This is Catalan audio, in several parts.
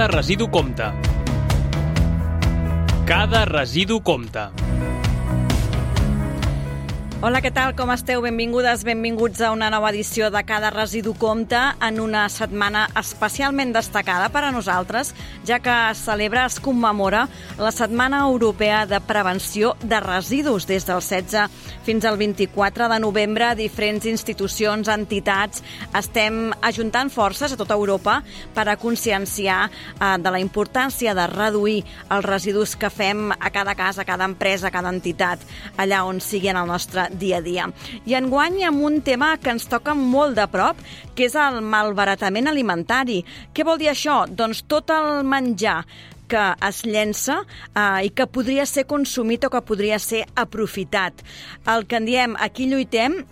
Cada residu compta. Cada residu compta. Hola, què tal? Com esteu? Benvingudes, benvinguts a una nova edició de Cada residu compta en una setmana especialment destacada per a nosaltres, ja que es celebra, es commemora la Setmana Europea de Prevenció de Residus des del 16 fins al 24 de novembre. Diferents institucions, entitats, estem ajuntant forces a tota Europa per a conscienciar de la importància de reduir els residus que fem a cada casa, a cada empresa, a cada entitat, allà on sigui en el nostre dia a dia. I enguany amb un tema que ens toca molt de prop, que és el malbaratament alimentari. Què vol dir això? Doncs tot el menjar que es llença i que podria ser consumit o que podria ser aprofitat. El que en diem Aquí lluitem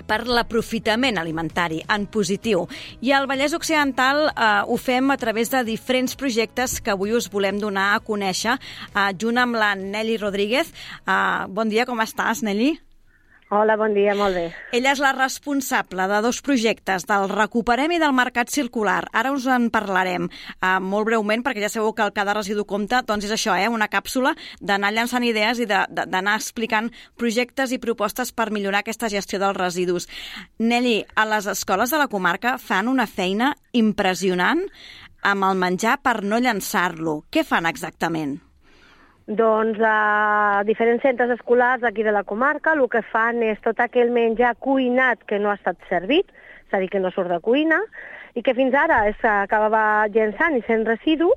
per l'aprofitament alimentari, en positiu. I al Vallès Occidental ho fem a través de diferents projectes que avui us volem donar a conèixer, junt amb la Nelly Rodríguez. Bon dia, com estàs, Nelly? Hola, bon dia, molt bé. Ella és la responsable de dos projectes, del Recuperem i del Mercat Circular. Ara us en parlarem molt breument, perquè ja sabeu que el Cada residu compta, doncs és això, una càpsula d'anar llançant idees i d'anar explicant projectes i propostes per millorar aquesta gestió dels residus. Nelly, a les escoles de la comarca fan una feina impressionant amb el menjar per no llançar-lo. Què fan exactament? Doncs a diferents centres escolars aquí de la comarca el que fan és tot aquell menjar cuinat que no ha estat servit, és a dir, que no surt de cuina, i que fins ara s'acabava llençant i sent residu,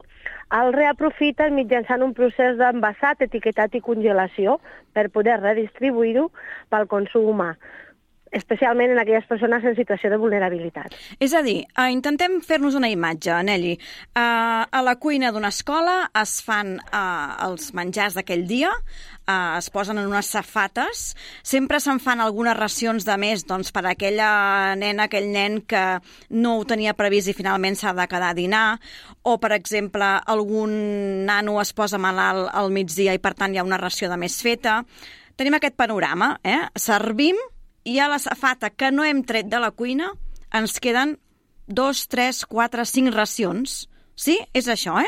el reaprofiten mitjançant un procés d'envasat, etiquetat i congelació per poder redistribuir-ho pel consum humà, especialment en aquelles persones en situació de vulnerabilitat. És a dir, intentem fer-nos una imatge, Nelly. A la cuina d'una escola es fan els menjars d'aquell dia, es posen en unes safates, sempre se'n fan algunes racions de més doncs, per a aquella nena, aquell nen que no ho tenia previst i finalment s'ha de quedar a dinar, o, per exemple, algun nano es posa malalt al migdia i, per tant, hi ha una ració de més feta. Tenim aquest panorama, servim, i a la safata que no hem tret de la cuina ens queden 2, 3, 4, 5 racions. Sí? És això,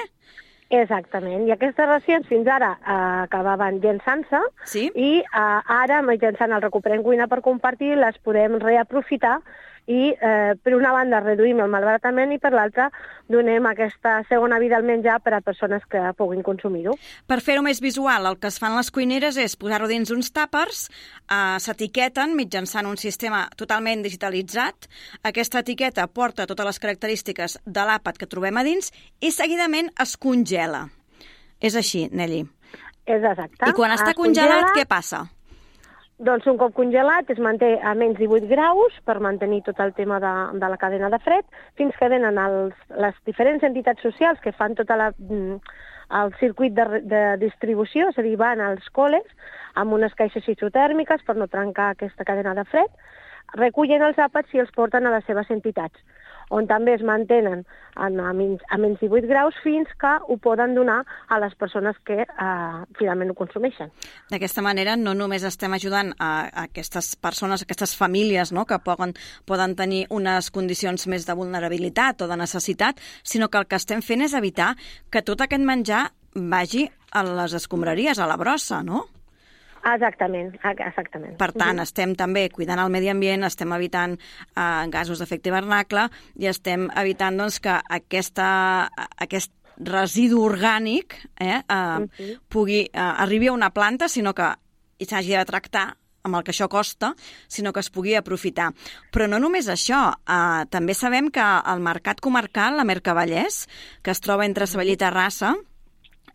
Exactament. I aquestes racions fins ara acabaven llençant-se, sí? I ara, mitjançant el Recuperem Cuina per Compartir, les podem reaprofitar i, per una banda, reduïm el malbaratament i, per l'altra, donem aquesta segona vida al menjar per a persones que puguin consumir-ho. Per fer-ho més visual, el que es fan les cuineres és posar-ho dins uns tàpers, s'etiqueten mitjançant un sistema totalment digitalitzat. Aquesta etiqueta porta totes les característiques de l'àpat que trobem a dins i seguidament es congela. És així, Nelly? És exacte. I quan està congelat, què passa? Doncs un cop congelat es manté a menys 18 graus per mantenir tot el tema de la cadena de fred, fins que venen les diferents entitats socials que fan tot el circuit de distribució, és a dir, van als col·les amb unes caixes isotèrmiques per no trencar aquesta cadena de fred, recullen els àpats i els porten a les seves entitats, on també es mantenen a menys 18 graus fins que ho poden donar a les persones que finalment ho consumeixen. D'aquesta manera no només estem ajudant a aquestes persones, a aquestes famílies, no?, que poden tenir unes condicions més de vulnerabilitat o de necessitat, sinó que el que estem fent és evitar que tot aquest menjar vagi a les escombraries, a la brossa, no? Exactament. Per tant, estem també cuidant el medi ambient, estem evitant gasos d'efecte hivernacle i estem evitant doncs, que aquest residu orgànic arribi a una planta, sinó que s'hagi de tractar amb el que això costa, sinó que es pugui aprofitar. Però no només això, també sabem que el mercat comarcal, la Mercavallès, que es troba entre Sabadell i Terrassa,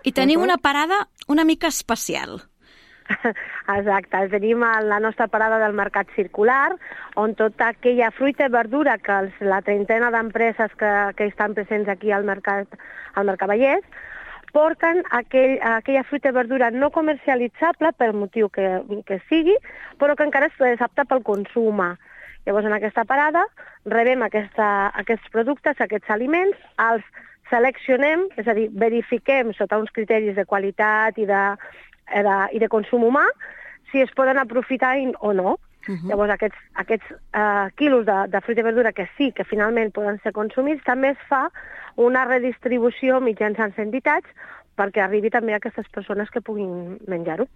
hi tenim una parada una mica especial. Exacte, tenim la nostra parada del Mercat Circular, on tota aquella fruita i verdura que la trentena d'empreses que estan presents aquí al Mercavallès porten aquella fruita i verdura no comercialitzable pel motiu que sigui, però que encara és apta pel consum humà. Llavors, en aquesta parada rebem aquests productes, aquests aliments, els seleccionem, és a dir, verifiquem sota uns criteris de qualitat i de consum humà si es poden aprofitar o no. Llavors, aquests quilos de fruita i verdura que sí, que finalment poden ser consumits, també es fa una redistribució mitjançant entitats perquè arribi també a aquestes persones que puguin menjar-ho.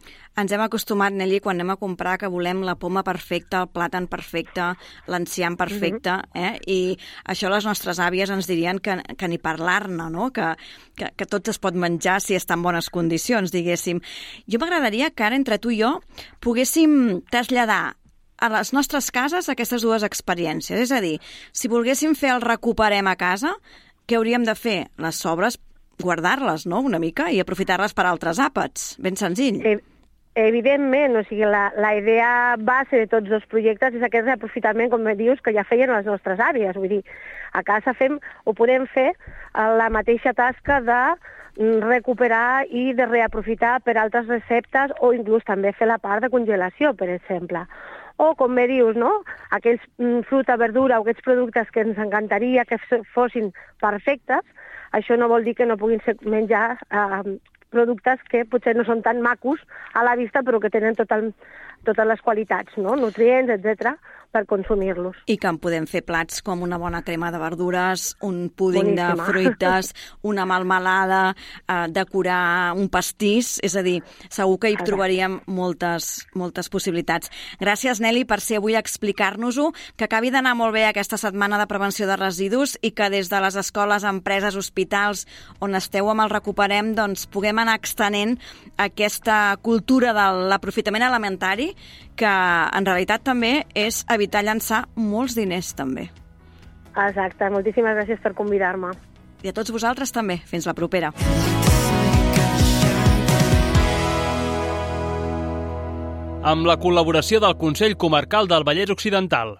Ens hem acostumat, Nelly, quan anem a comprar, que volem la poma perfecta, el plàtan perfecte, l'enciam perfecte, i això les nostres àvies ens dirien que ni parlar-ne, no? Que tot es pot menjar si està en bones condicions, diguéssim. Jo m'agradaria que ara, entre tu i jo, poguéssim traslladar a les nostres cases aquestes dues experiències. És a dir, si volguéssim fer el recuperem a casa, què hauríem de fer? Les sobres, guardar-les, no?, una mica, i aprofitar-les per altres àpats. Ben senzill. Evidentment, o sigui, la idea base de tots dos projectes és aquest reaprofitament, com dius, que ja feien les nostres àvies. Vull dir, a casa podem fer la mateixa tasca de recuperar i de reaprofitar per altres receptes o inclús també fer la part de congelació, per exemple. O, com bé dius, no?, aquells fruita, verdura o aquests productes que ens encantaria que fossin perfectes, això no vol dir que no puguin menjar productes que potser no són tan macos a la vista però que tenen totes les qualitats, no?, nutrients, etc., per consumir-los. I que en podem fer plats com una bona crema de verdures, un púding de fruites, una melmelada, decorar un pastís, és a dir, segur que hi trobaríem moltes possibilitats. Gràcies, Nelly, per ser avui a explicar-nos-ho, que acabi d'anar molt bé aquesta setmana de prevenció de residus i que des de les escoles, empreses, hospitals, on esteu amb el Recuperem, doncs puguem anar extenent aquesta cultura de l'aprofitament alimentari, que en realitat també és evitar llançar molts diners, també. Exacte, moltíssimes gràcies per convidar-me. I a tots vosaltres també. Fins la propera. Amb la col·laboració del Consell Comarcal del Vallès Occidental.